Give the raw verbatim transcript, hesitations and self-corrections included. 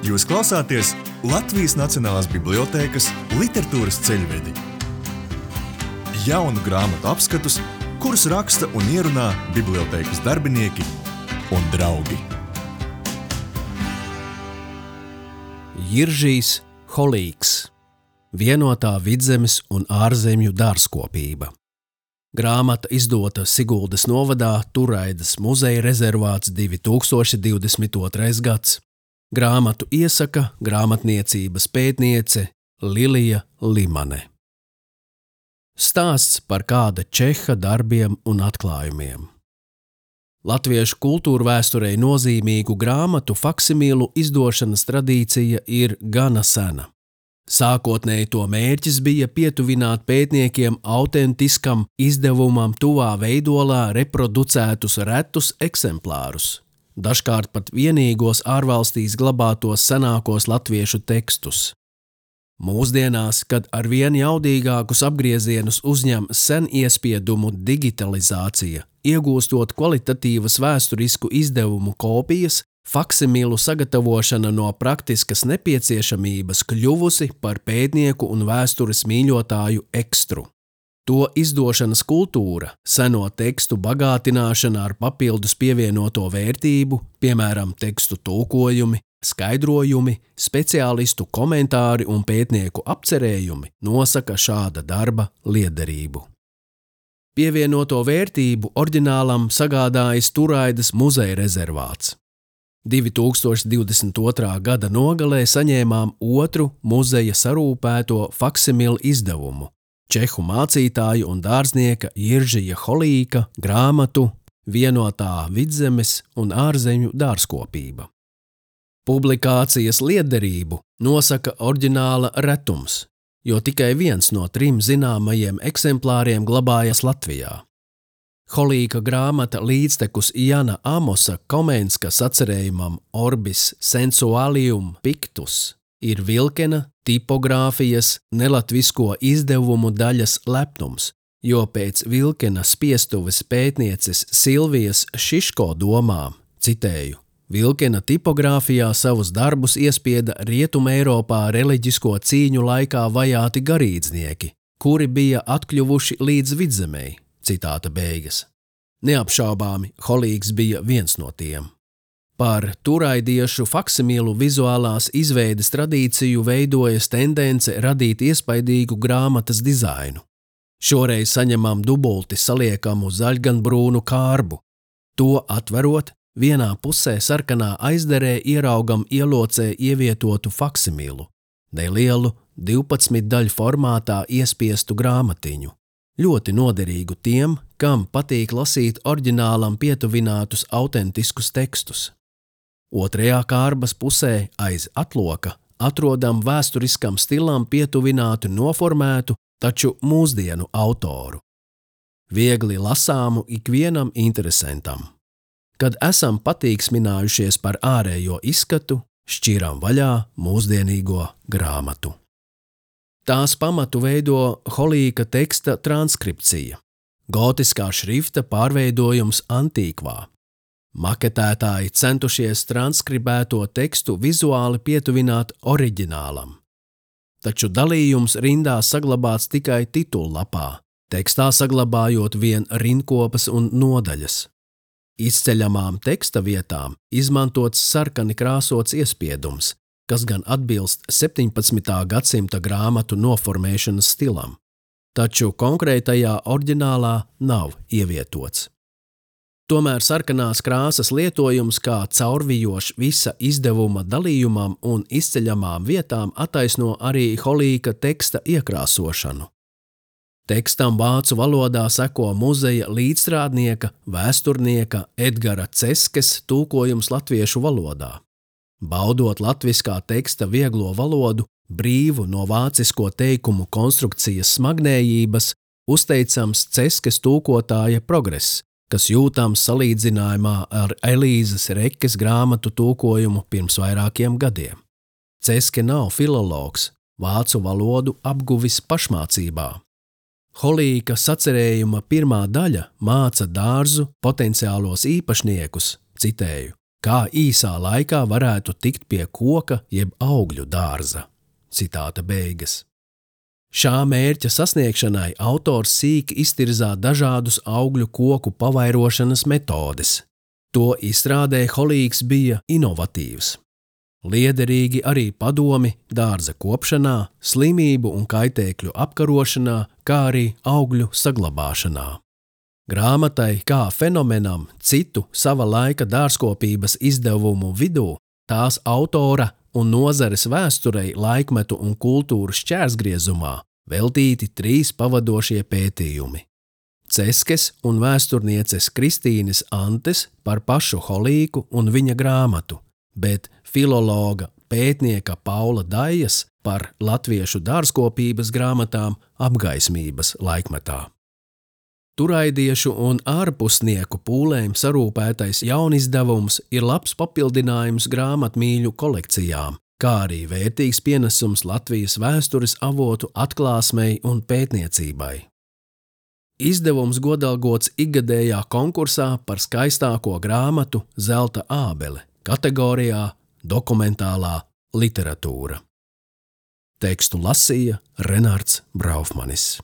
Jūs klausāties Latvijas Nacionālās bibliotēkas literatūras ceļvedi. Jaunu grāmatu apskatus, kurus raksta un ierunā bibliotēkas darbinieki un draugi. Jiržijs Holīgs. Vienotā vidzemes un ārzemju dārzkopība. Grāmata izdota Siguldas novadā Turaidas muzeja rezervāts divi tūkstoši divdesmit otrais gads. Grāmatu iesaka grāmatniecības pētniece Lilija Limane. Stāsts par kāda čeha darbiem un atklājumiem. Latviešu kultūrvēsturei nozīmīgu grāmatu faksimīlu izdošanas tradīcija ir gana sena. Sākotnēji to mērķis bija pietuvināt pētniekiem autentiskam izdevumam tuvā veidolā reproducētus retus eksemplārus, dažkārt pat vienīgos ārvalstīs glabātos senākos latviešu tekstus. Mūsdienās, kad arvien jaudīgākus apgriezienus uzņem sen iespiedumu digitalizācija, iegūstot kvalitatīvas vēsturisku izdevumu kopijas, faksimilu sagatavošana no praktiskas nepieciešamības kļuvusi par pētnieku un vēstures mīļotāju ekstru. To izdošanas kultūra, seno tekstu bagātināšana ar papildus pievienoto vērtību, piemēram, tekstu tulkojumi, skaidrojumi, speciālistu komentāri un pētnieku apcerējumi, nosaka šāda darba liederību. Pievienoto vērtību oriģinālam sagādājis Turaidas muzeja rezervāts. divi tūkstoši divdesmit otrā gada nogalē saņēmām otru muzeja sarūpēto faksimilu izdevumu – čehu mācītāju un dārznieka Jiržija Holīga grāmatu Vienotā vidzemes un ārzemju dārzkopība. Publikācijas liederību nosaka oriģināla retums, jo tikai viens no trim zināmajiem eksemplāriem glabājas Latvijā. Holīga grāmata līdztekus Jana Amosa Komenska sacerējumam Orbis sensualium pictus ir Vilkena tipogrāfijas nelatvisko izdevumu daļas lepnums, jo pēc Vilkena spiestuves pētnieces Silvijas Šiško domām, citēju, Vilkena tipogrāfijā savus darbus iespieda Rietumeiropā reliģisko cīņu laikā vajāti garīdznieki, kuri bija atkļuvuši līdz vidzemei. Citāta beigas. Neapšaubāmi Holīgs bija viens no tiem. Par turaidiešu faksimilu vizuālās izveides tradīciju veidojas tendence radīt iespaidīgu grāmatas dizainu. Šoreiz saņemam dubulti saliekamu zaļganbrūnu kārbu. To atverot, vienā pusē sarkanā aizderē ieraugam ielocē ievietotu faksimilu, nelielu divpadsmit daļu formātā iespiestu grāmatiņu. Ļoti noderīgu tiem, kam patīk lasīt oriģinālam pietuvinātus autentiskus tekstus. Otrajā kārbas pusē aiz atloka atrodam vēsturiskam stilam pietuvinātu noformētu, taču mūsdienu autoru. Viegli lasāmu ikvienam interesantam. Kad esam patīksminājušies par ārējo izskatu, šķiram vaļā mūsdienīgo grāmatu. Tās pamatu veido Holīga teksta transkripcija, gotiskā šrifta pārveidojums antīkvā. Maketētāji centušies transkribēto tekstu vizuāli pietuvināt oriģinālam. Taču dalījums rindā saglabāts tikai titullapā, tekstā saglabājot vien rindkopas un nodaļas. Izceļamām teksta vietām izmantots sarkani krāsots iespiedums, kas gan atbilst septiņpadsmitā gadsimta grāmatu noformēšanas stilam, taču konkrētajā oriģinālā nav ievietots. Tomēr sarkanās krāsas lietojums kā caurvijošs visa izdevuma dalījumam un izceļamām vietām attaisno arī Holīga teksta iekrāsošanu. Tekstam vācu valodā seko muzeja līdzstrādnieka, vēsturnieka Edgara Ceskes tulkojums latviešu valodā. Baudot latviskā teksta vieglo valodu, brīvu no vācisko teikumu konstrukcijas smagnējības, uzteicams Ceskes tulkotāja progress, kas jūtams salīdzinājumā ar Elīzes Rekes grāmatu tulkojumu pirms vairākiem gadiem. Ceske nav filologs, vācu valodu apguvis pašmācībā. Holīga sacerējuma pirmā daļa māca dārzu potenciālos īpašniekus, citēju, Kā īsā laikā varētu tikt pie koka jeb augļu dārza. Citāta beigas. Šā mērķa sasniegšanai autors sīki iztirzā dažādus augļu koku pavairošanas metodes. To izstrādē Holīgs bija inovatīvs. Liederīgi arī padomi dārza kopšanā, slimību un kaitēkļu apkarošanā, kā arī augļu saglabāšanā. Grāmatai kā fenomenam citu sava laika dārzkopības izdevumu vidū tās autora un nozares vēsturei, laikmetu un kultūru šķērsgriezumā veltīti trīs pavadošie pētījumi. Ceskes un vēsturnieces Kristīnes Antes par pašu Holīgu un viņa grāmatu, bet filologa pētnieka Paula Dajas par latviešu dārzkopības grāmatām apgaismības laikmetā. Turaidiešu un ārpusnieku pūlēm sarūpētais jaunizdevums ir labs papildinājums grāmatmīļu kolekcijām, kā arī vērtīgs pienesums Latvijas vēstures avotu atklāsmei un pētniecībai. Izdevums godalgots ikgadējā konkursā par skaistāko grāmatu Zelta ābele kategorijā Dokumentālā literatūra. Tekstu lasīja Renārds Braufmanis.